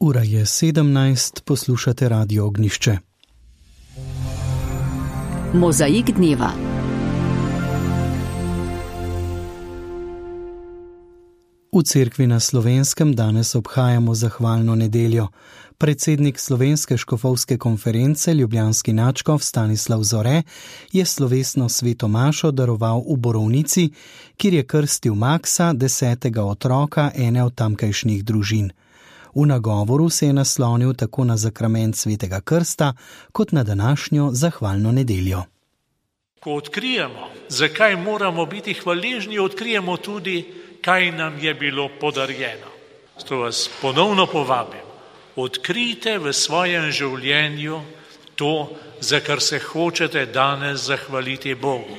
Ura je 17, poslušate Radio Ognjišče. Mozaik dneva. V cerkvi na Slovenskem danes obhajamo zahvalno nedeljo. Predsednik Slovenske škofovske konference, ljubljanski nadškof Stanislav Zore, je slovesno sveto mašo daroval v Borovnici, kjer je krstil Maksa, 10. otroka ene od tamkajšnjih družin. V nagovoru se je naslonil tako na zakrament svetega krsta, kot na današnjo zahvalno nedeljo. Ko odkrijemo, zakaj moramo biti hvaležni, odkrijemo tudi, kaj nam je bilo podarjeno. Zato vas ponovno povabim, odkrijte v svojem življenju to, za kar se hočete danes zahvaliti Bogu.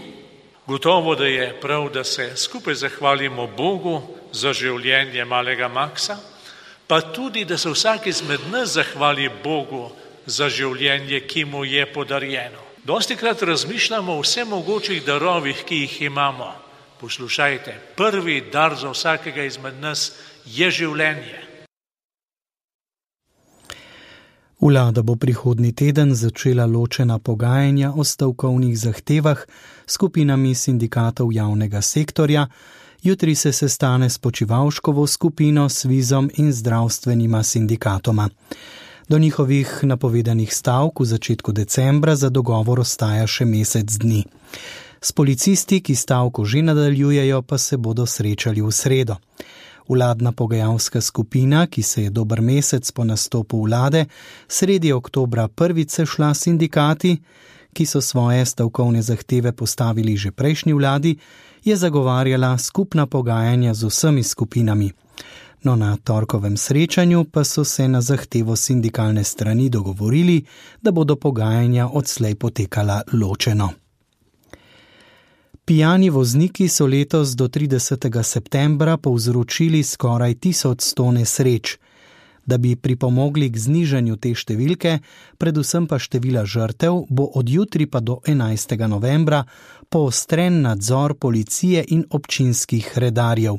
Gotovo, da je prav, da se skupaj zahvalimo Bogu za življenje malega Maksa, pa tudi, da se vsak izmed nas zahvali Bogu za življenje, ki mu je podarjeno. Dostikrat razmišljamo o vsemogočih darovih, ki jih imamo. Poslušajte, prvi dar za vsakega izmed nas je življenje. Vlada bo prihodnji teden začela ločena pogajanja o stavkovnih zahtevah s skupinami sindikatov javnega sektorja. Jutri se sestane s Počivalškovo skupino, Svizom in zdravstvenima sindikatoma. Do njihovih napovedanih stavk v začetku decembra za dogovor ostaja še mesec dni. S policisti, ki stavko že nadaljujejo, pa se bodo srečali v sredo. Vladna pogajalska skupina, ki se je dober mesec po nastopu vlade, sredi oktobra prvič sešla s sindikati, ki so svoje stavkovne zahteve postavili že prejšnji vladi, je zagovarjala skupna pogajanja z vsemi skupinami. No, na torkovem srečanju pa so se na zahtevo sindikalne strani dogovorili, da bodo pogajanja odslej potekala ločeno. Pijani vozniki so letos do 30. septembra povzročili skoraj 1100 nesreč. Da bi pripomogli k znižanju te številke, predvsem pa števila žrtev, bo od jutri pa do 11. novembra poostren nadzor policije in občinskih redarjev.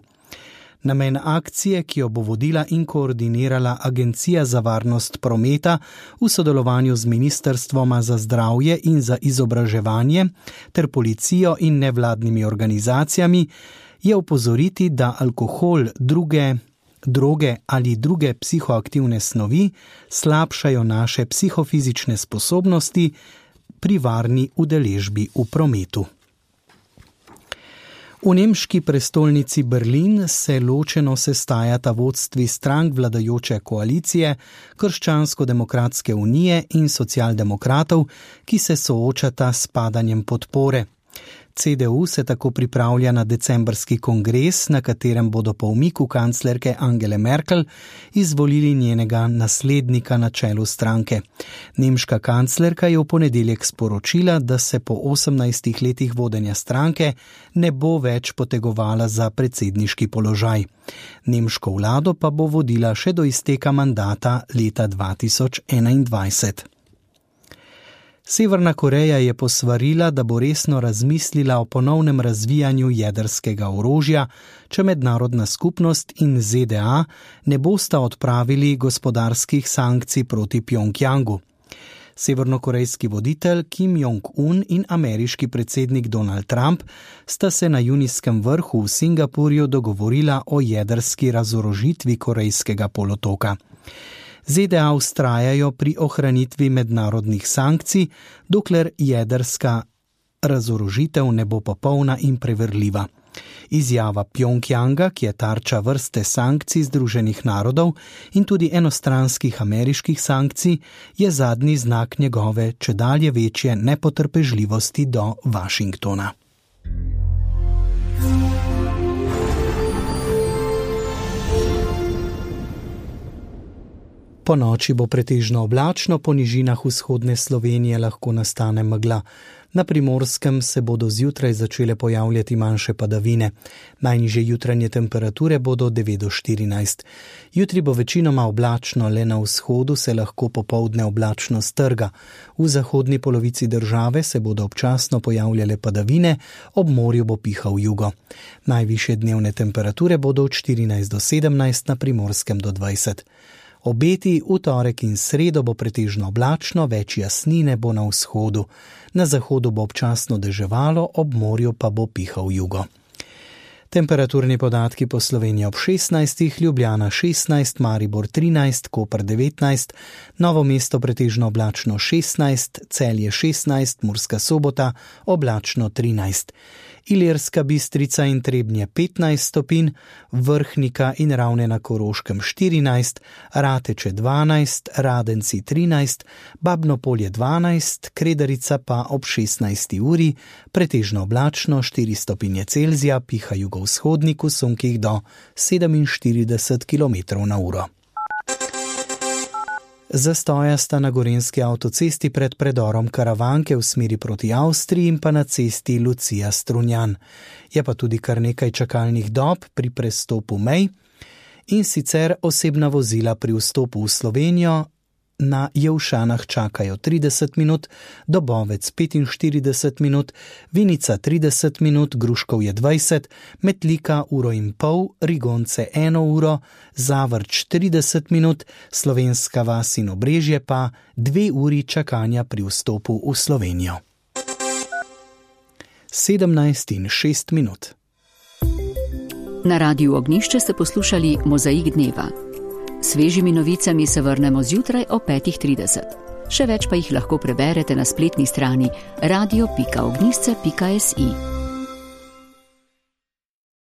Namen akcije, ki jo bo vodila in koordinirala Agencija za varnost prometa v sodelovanju z Ministrstvoma za zdravje in za izobraževanje ter policijo in nevladnimi organizacijami, je opozoriti, da alkohol, droge ali druge psihoaktivne snovi slabšajo naše psihofizične sposobnosti pri varni udeležbi v prometu. V nemški prestolnici Berlin se ločeno sestajata vodstvi strank vladajoče koalicije, Krščansko-demokratske unije in socialdemokratov, ki se soočata s padanjem podpore. CDU se tako pripravlja na decembrski kongres, na katerem bodo po umiku kanclerke Angele Merkel izvolili njenega naslednika na čelu stranke. Nemška kanclerka je v ponedeljek sporočila, da se po 18 letih vodenja stranke ne bo več potegovala za predsedniški položaj. Nemško vlado pa bo vodila še do izteka mandata leta 2021. Severna Koreja je posvarila, da bo resno razmislila o ponovnem razvijanju jedrskega orožja, če mednarodna skupnost in ZDA ne bosta odpravili gospodarskih sankcij proti Pjongjangu. Severnokorejski voditelj Kim Jong-un in ameriški predsednik Donald Trump sta se na junijskem vrhu v Singapurju dogovorila o jedrski razorožitvi Korejskega polotoka. ZDA vztrajajo pri ohranitvi mednarodnih sankcij, dokler jedrska razorožitev ne bo popolna in preverljiva. Izjava Pjongjanga, ki je tarča vrste sankcij Združenih narodov in tudi enostranskih ameriških sankcij, je zadnji znak njegove čedalje večje nepotrpežljivosti do Washingtona. Po noči bo pretežno oblačno, po nižinah vzhodne Slovenije lahko nastane megla. Na Primorskem se bodo zjutraj začele pojavljati manjše padavine. Najnižje jutranje temperature bodo 9 do 14. Jutri bo večinoma oblačno, le na vzhodu se lahko popoldne oblačno strga. V zahodni polovici države se bodo občasno pojavljale padavine, ob morju bo pihal jugo. Najvišje dnevne temperature bodo od 14 do 17, na Primorskem do 20. Obeti v torek in sredo bo pretežno oblačno, več jasnine bo na vzhodu. Na zahodu bo občasno deževalo, ob morju pa bo pihal jugo. Temperaturni podatki po Sloveniji ob 16, Ljubljana 16, Maribor 13, Koper 19, Novo mesto pretežno oblačno 16, Celje 16, Murska Sobota oblačno 13. Ilirska Bistrica in Trebnje 15 stopinj, Vrhnika in Ravne na Koroškem 14, Rateče 12, Radenci 13, Babno Polje 12, Kredarica pa ob 16. uri, pretežno oblačno 4 stopinje Celzija, piha jugovzhodnik v sunkih do 47 km/h. Zastoja sta na gorenjski avtocesti pred predorom Karavanke v smeri proti Avstriji in pa na cesti Lucija-Strunjan. Je pa tudi kar nekaj čakalnih dob pri prestopu mej in sicer osebna vozila pri vstopu v Slovenijo na Jelšanah čakajo 30 minut, Dobovec 45 minut, Vinica 30 minut, Gruškovje 20, Metlika 1,5 ure, Rigonce 1 uro, Zavrč 30 minut, Slovenska vas in Obrežje pa 2 uri čakanja pri vstopu v Slovenijo. 17:06. Na Radiu Ognjišče ste poslušali Mozaik dneva. Svežimi novicami se vrnemo zjutraj o 5:30. Še več pa jih lahko preberete na spletni strani radio.ognjišče.si.